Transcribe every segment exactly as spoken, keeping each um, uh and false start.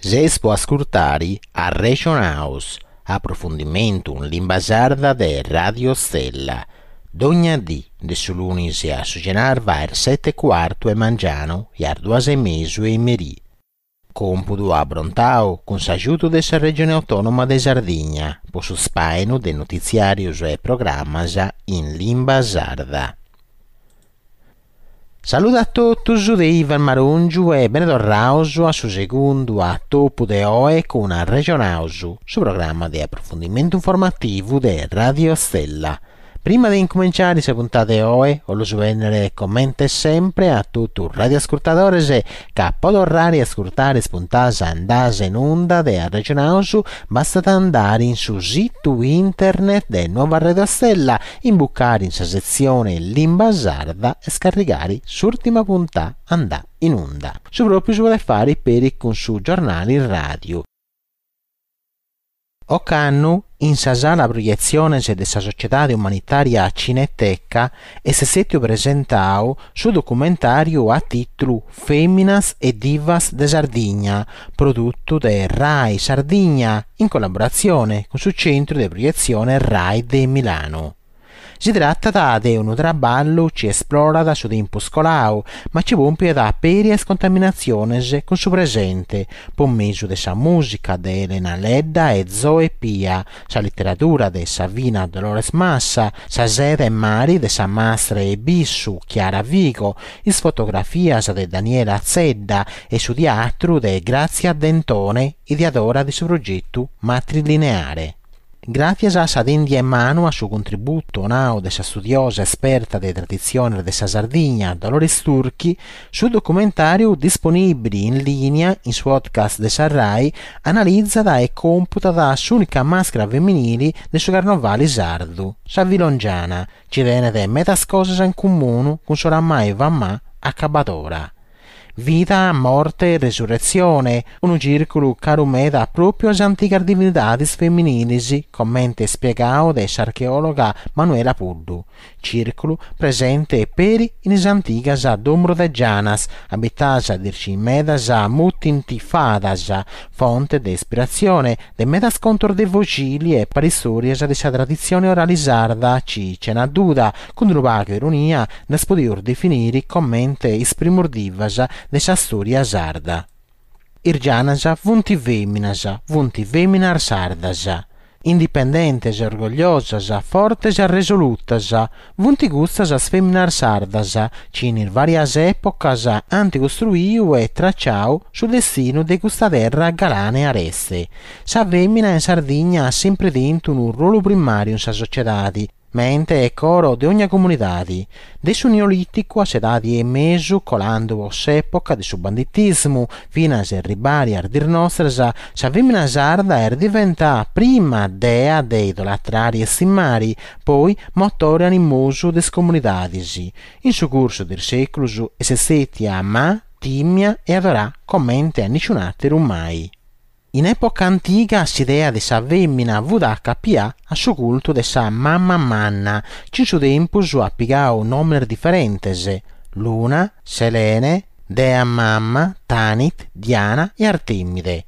Seis po ascurtare Arrexonaus, aprofundimentu in limba sarda de Radio Stella. Dogna dì, de su lunis a su cenarba a is sete e cuartu 'e mangianu e a is duas e mesu 'e merì. Compudu abrontau cun s'agiudu de sa Regione Autonoma de Sardigna po su spàinu de notitziàrios e programmas in limba sarda. Salude a totus de Ivan Marongiu e bene torrados a su segundu atopu de oe cun Arrexonaus, su programma de aprofundimentu informativu de Radio Stella. Prima de incominciare sa puntada de oe, 'ollu bennere comente sempre a totu radioascurtadores ca po torrare a ascurtare is puntadas andadas in unda de Arrexonaus bastat andare in su situ internet de Nuova Radio Stella, imbucare in sa setzione Limba Sarda e scarrigare s'ùrtima puntada andà in unda. Su pròpiu si podet fare peri cun su giornale radio. Ocannu, in sa sala proietziones de sa Sociedade Umanitària Cineteca, est istètiu presentadu su documentàriu a tìtulu Fèminas e divas de Sardigna, produtu de Rai Sardigna in collaboratzione cun su Centru de Proietzione Rai de Milano. Si tratat de unu traballu chi esplorat su tempus coladu, ma chi pòmpiat peri is contaminatziones cun su presente, po mesu de sa mùsica de Elena Ledda e Zoe Pia, sa literadura de Savina Dolores Massa, sa seda e mari de sa mastra 'e bissu Chiara Vigo, is fotografias de Daniela Zedda e su teatru de Grazia Dentone, ideadora de su progetu Matrilineare. Gràtzias a sa tèndia 'e manu a su contributu donadu de sa studiosa esperta de traditziones de sa Sardigna Dolores Turchi, su documentàriu disponìbile in lìnia in su podcast de sa Rai analizat e computat s'ùnica màscara feminile de su carnovale sardu, sa filongiana, chi tenet medas cosas in comunu cun s'oramai famada acabadora. Vida, morte e resurretzione, unu cìrculu caru meda pròpiu a sas antigas divinidades feminiles, comente ispiegadu de s'archeòloga Manuela Puddu. Cìrculu presente peri in is antigas domos de gianas, abitadas de is medas mutint fadas, fonte de ispiratzione de medas contos de foghile e paristòrias de sa traditzione orale sarda chi, chena duda, cun unu pagu ironia, ddas podimus definire comente is primos divas de sa storia sarda. Is gianas funt fèminas, funt fèminas sardas. Indipendentes, orgogliosas, fortes e resolutas, funt custas as fèminas sardas chi in vàrias èpocas ant costruidu e traciadu su destinu de custa terra galana e areste. Sa fèmina in Sardigna at sempre tentu unu ruolu primàriu in sa sotziedade, mente e coro de ogna comunidade. De su Neolìticu a s'Edade 'e Mesu, colando po s'època de su banditismu, finas a arribare a dies nostras, sa fèmina sarda est diventada prima dea de idolatrare e istimare, poi motore animosu de is comunidades. In su cursu de is sèculos est istètia amada, tìmia e adorada comente a nisciun'àteru mai. In època antiga s'idea de sa fèmina fut acapiada a su cultu de sa mama manna, chi in su tempus at pigadu nòmenes diferentes: Luna, Selene, Dea Mama, Tanit, Diana e Artemide.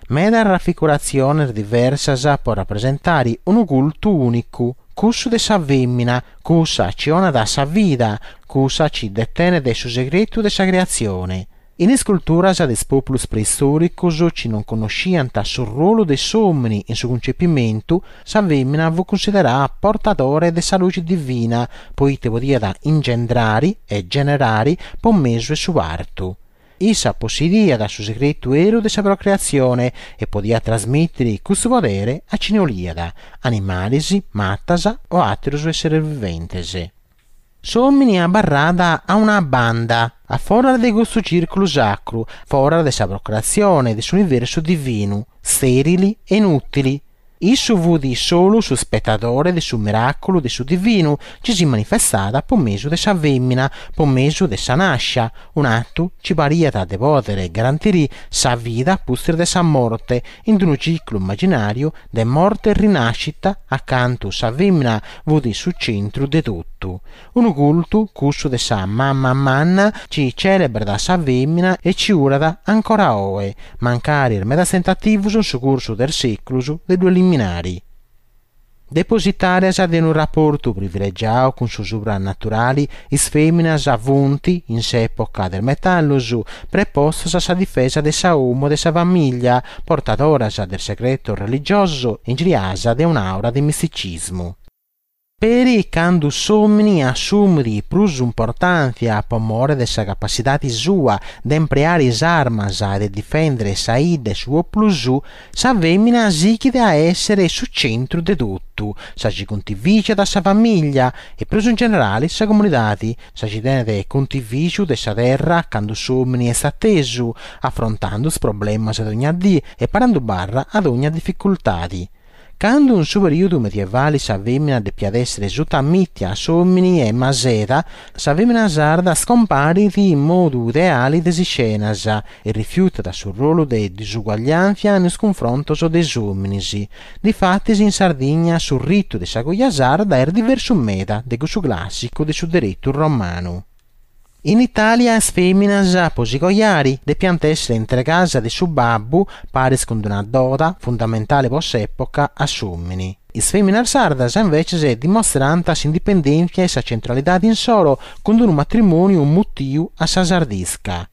Medas rafiguratziones diversas po rapresentare unu cultu ùnicu, cussu de sa fèmina, cussa chi 'onat sa vida, cussa chi detenet su segretu de sa creatzione. In is culturas de is pòpulos preistòricos chi non connoschiant su ruolu de s'òmine in su cuncepimentu, sa fèmina fut cunsiderada portadore de sa luce divina, poite podiat ingendrare e generare po mesu 'e su partu. Issa possediat su segretu 'eru de sa procreatzione e podiat trasmìtere custu podere a chine 'oliat, animales, matas o àteros èsseres viventes. S'òmine abarrat a una banda, a foras de custu cìrculu sacru, foras de sa procreatzione de s'universu divinu, stèrile e inùtile. Issu fut solu su spetadore de su miràculu de su divinu chi si manifestat po mesu de sa fèmina, po mesu de sa nàscia, un'atu chi pariat de pòdere garantire sa vida a pustis de sa morte, in unu ciclu immaginàriu de morte e rinàschida acantu sa fèmina fut su centru de totu. Unu cultu, cussu de sa Mama Manna, chi cèlebrat sa fèmina e chi urat ancora oe, mancari medas tentativos in su cursu de sèculos de ddu eliminare. Depositàrias de unu raportu privilegiadu cun su supranaturale, is fèminas funt, in s'època de is metallos, prepostas a sa difesa de sa 'omo e de sa famìlia, portadoras de segretos religiosos e ingiriadas de un'aura de misticismu. Peri cando s'òmine assumit prus importàntzia pro more de sa capatzidade sua de impreare is armas e de difèndere sa 'idda e su pòpulu suo, sa fèmina sighit a èssere su centru de totu, sa chi contivìgiat sa famìlia e prus in generale sa comunidade, sa chi tenet contivìgiu de sa terra cando s'òmine est atesu, afrontende is problemas de ogna die e parende barra a ogna dificultade. Cando in su perìodu medievale sa fèmina depiat èssere sutamìtia a s'òmine e maseda, sa fèmina sarda scomparit in modu ideale de is iscenas e rifiutat su ruolu de disuguagliàntzia in is cunfrontos de is òmines. Difatis in Sardigna su ritu de sa coja sarda est diversu meda de cussu clàssicu de su deretu romanu. In Itàlia is fèminas, pro si cojare, depiant èssere intregadas de su babbu, paris cun una doda, fundamentale pro s'època, a s'òmine. Is fèminas sardas, imbetzes, dimostrant s'indipendèntzia e sa centralidade insoro cun unu matrimòniu mutiu a sa sardisca.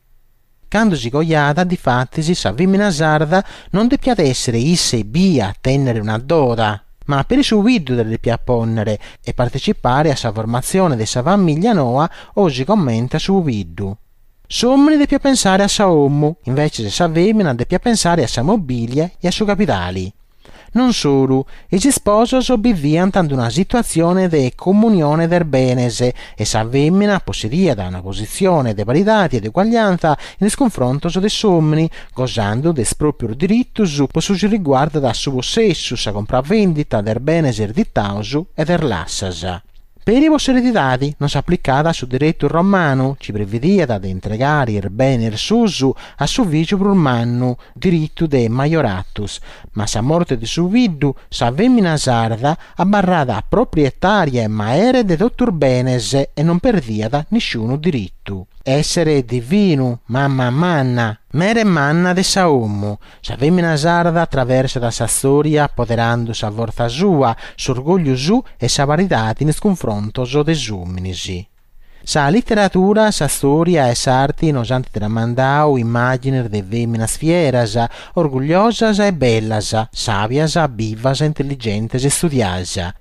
Cando si cojat, difatis, sa fèmina sarda non depiat èssere issa ebbia a tènnere una doda, ma peri su pubiddu dda depiat pònnere e partecipare a sa formatzione de sa famìlia noa osi comente a su pubiddu. S'òmine depiat pensare a sa 'omo, imbetzes sa fèmina depiat pensare a sa mobìlia e a su capitale. Non solu, is isposos biviant in una situatzione de comunione de benes e sa fèmina possediat una positzione de paridade e de uguagliàntzia in is cunfrontos de s'òmine, gosende de is pròpios diritos pro su chi riguardat su possessu, sa compravendita de benes ereditados e de lassas. Peri pro s'eredidade non s'aplicat su deretu romanu, chi previdiat de intregare is benes suos a su fìgiu prus mannu, diritu de majoratus, ma a sa morte de su pubiddu, sa fèmina sarda abarrat proprietària e maere de totu is benes e non perdiat nisciunu diritu. Èssere divinu, mama manna, mere manna de sa 'omo. Sa fèmina sarda atraversat sa istòria apoderende sa fortza sua, s'orgògliu suo e sa paridade in is cunfrontos de is òmines. Sa literadura, sa istòria e s'arte nos ant tramandadu immàgines de fèminas fieras, orgogliosas e bellas, sàbias, bivas, intelligentes e istudiadas.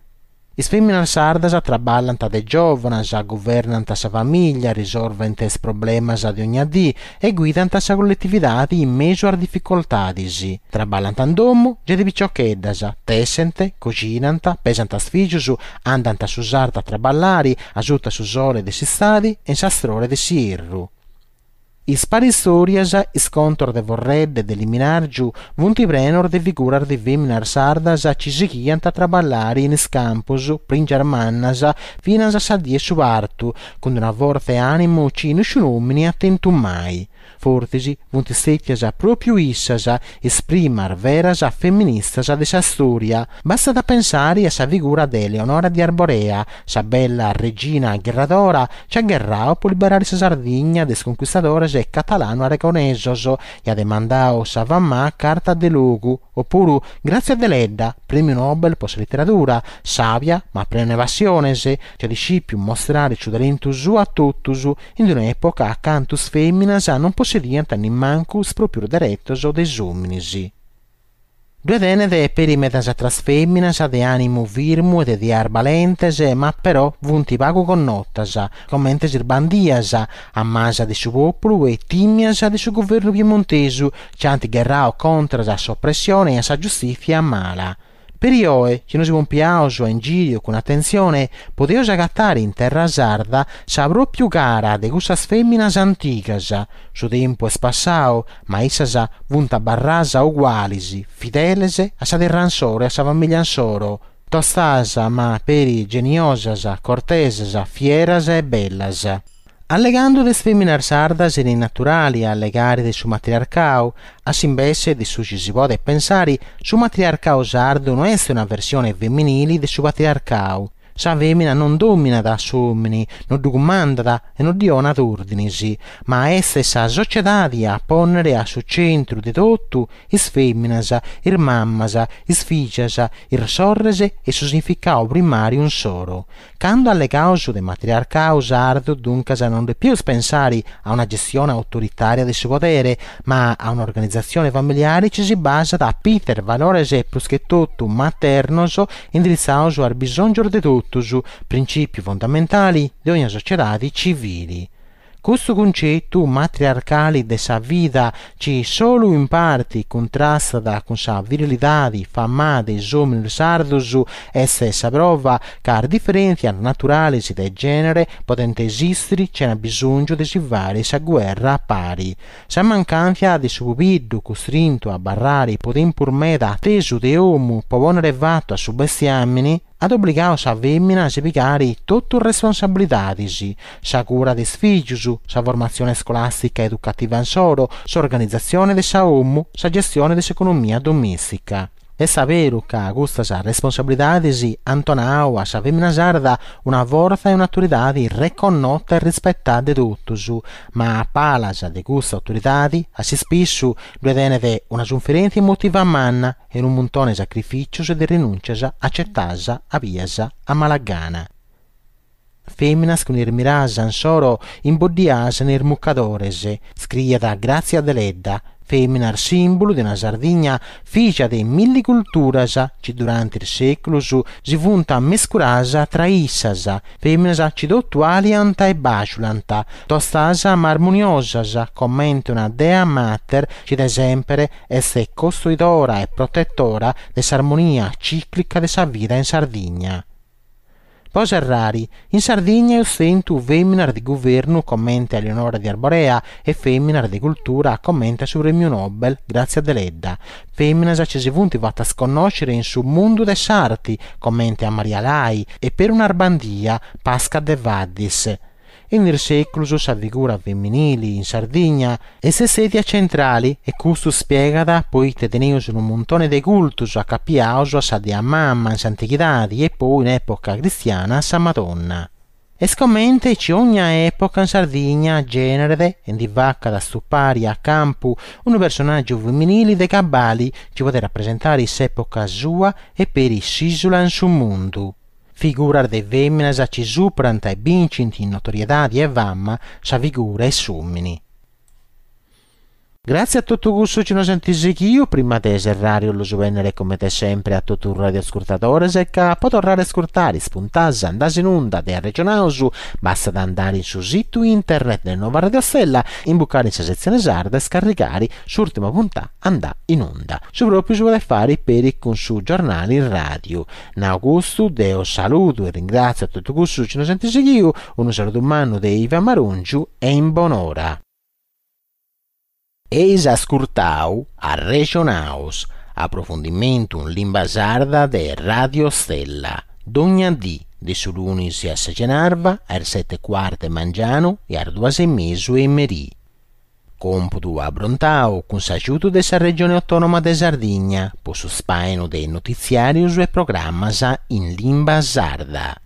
Is fèminas sardas traballant de giòvanas, guvernant sa famìlia, risolvent is problemas de ogna die e guidant sa colletividade in mesu a is dificultades. Traballant in domo, giai de piciocheddas, tessent, coxinant, pesant is fìgios, andant a su sartu a traballare, a suta su sole de s'istade e in s'astrore de s'ierru. Is paristòrias, is contos de forredda e de liminàrgiu funt prenos de figuras de fèminas sardas chi sighiant a traballare in is campos, prìngias mannas, finas a sa die 'e su partu, cun una fortza e ànimu chi nisciunu òmine at tentu mai. Fortzis funt istètias pròpiu issas is primas veras feministas de sa istòria. Bastat a pensare a sa figura de Eleonora de Arborea, sa bella regina gherradora chi at gherradu pro liberare sa Sardigna de is conchistadores catalano-aragonesos e at mandadu sa famada Carta de Logu, opuru Grazia Deledda, prèmiu Nobel pro sa literadura, sàbia ma prena de passiones, chi at iscìpiu mustrare su talentu suo a totus in un'època acantu is fèminas non possediant nemmancu is pròpios deretos de is òmines. Ddoe tenet peri medas àteras fèminas de ànimu firmu e de ideas balentes, ma però funt pagu connotas, comente is bandias, amadas de su pòpulu e tìmias de su guvernu piemontesu, chi ant gherradu contras a s'opressione e a sa giustìtzia mala. Peri oe, chi nos pompiaus a ingìriu cun atentzione, podeus agatare in terra sarda sa pròpiu cara de cussas fèminas antigas. Su tempus est passadu, ma issas funt abarradas uguales, fideles a sa terra insoro e a sa famìlia insoro, tostas ma peri geniosas, cortesas, fieras e bellas. Allegando de is fèminas sardas est naturale a allegare de su matriarcadu. A s'imbesse de su chi si podet pensare, su matriarcadu sardu no est una versione feminile de su patriarcadu. Sa fèmina non dòminat a s'òmine, non ddu cumandat e non ddi donat òrdines, ma est sa sotziedade a pònnere a su tzentru de totu is fèminas, is mamas, is fìgias, is sorres e su significadu primàriu insoro. Cando allegaus de matriarcadu sardu, duncas, non depius pensare a una gestione autoritària de su podere, ma a un'organizatzione familiare chi si basat a pitzu de valores prus che totu maternos indiritzados a is bisòngios de totus, printzìpiu fundamentale de ogna sotziedade tzivile. Custu cuntzetu matriarcale de sa vida, chi solu in parte cuntrastat cun sa virilidade famada de is òmines sardos, est sa prova ca is diferèntzias naturales de gènere podent esìstere sena bisòngiu de si fàghere sa gherra a pare. Sa mancàntzia de su pubiddu custrintu a abarrare pro tempus meda a tesu de domo pro pònnere fatu a su bestiàmene, at obligadu sa fèmina a si pigare totu is responsabilidades, sa cura de is fìgios, sa formatzione iscolàstica e educativa insoro, s'organizatzione de sa domo, sa gestione de s'economia domèstica. Est beru ca custas responsabilidades ant donadu a sa fèmina sarda una fortza e un'autoridade reconnota e rispetada de totus, ma a palas de custa autoridade, a s'ispissu, ddoe tenet una suferèntzia emotiva manna e unu muntone de sacrifìtzios e de rinùntzias atzetadas a bias a mala gana. Fèminas cun is miradas insoro imboddiadas in is mucadores, iscriet Grazia Deledda, fèminas sìmbulu de una Sardigna fìgia de milli culturas chi durante is sèculos si funt ammescuradas tra issas, fèminas chi totu aliant e bàjulant, tostas ma armoniosas, comente una dea mater chi de semper est costoidora e protetora de s'armonia tzìclica de sa vida in Sardigna. Pro serrare, in Sardigna eus tentu fèminas de guvernu comente a Eleonora de Arborea e fèminas de cultura comente a su prèmiu Nobel Grazia Deledda, fèminas chi si funt fatas connòschere in su mundu de s'arte comente a Maria Lai e peri un'arbandia, Pasca Devaddis. In is sèculos sa figura feminile in Sardigna est stètia tzentrale e custu ispiegat pro ite teneus unu muntone de cultos acapiados a sa Dea Mama in s'antighidade e poi in època cristiana a sa Madonna. Est comente chi ogna època in Sardigna gèneret e ndi facat astupare a campu unu personàgiu feminile de cabale chi podet rapresentare s'època sua e peri s'ìsula in su mundu. Figuras de fèminas chi superant e bincint in notoriedade e fama sa figura 'e s'òmine. Gratzie a totu cussu chi nos ant sighiu, prima de serrare 'ollu bennere comente sempre a totu is radioascurtadores ca po torrare a ascurtare is puntadas andadas in unda de Arregionaus bastat andare in su situ internet de Nova Radio Stella, imbucare in sa setzione sarda e scarrigare s'ùrtima puntà andà in unda. Su pròpiu si podet fare peri cun su giornale in ràdiu. Nau custu, deo saludo e ringràtzio a totu cussu chi nos ant sighiu, unu saludu mannu de Ivan Marongiu e in bonora. Eis ascurtau Arrexonaus, aprofundimentu in limba sarda de Radio Stella, dogna dì, de su lunis a sa cenarba, a is sete e cuartu 'e mangianu e a is duas e mesu 'e merì. Còmpudu abrontau cun s'agiudu de sa Regione Autònoma de Sardigna po su spàinu de notitziàrios e programmas in limba sarda.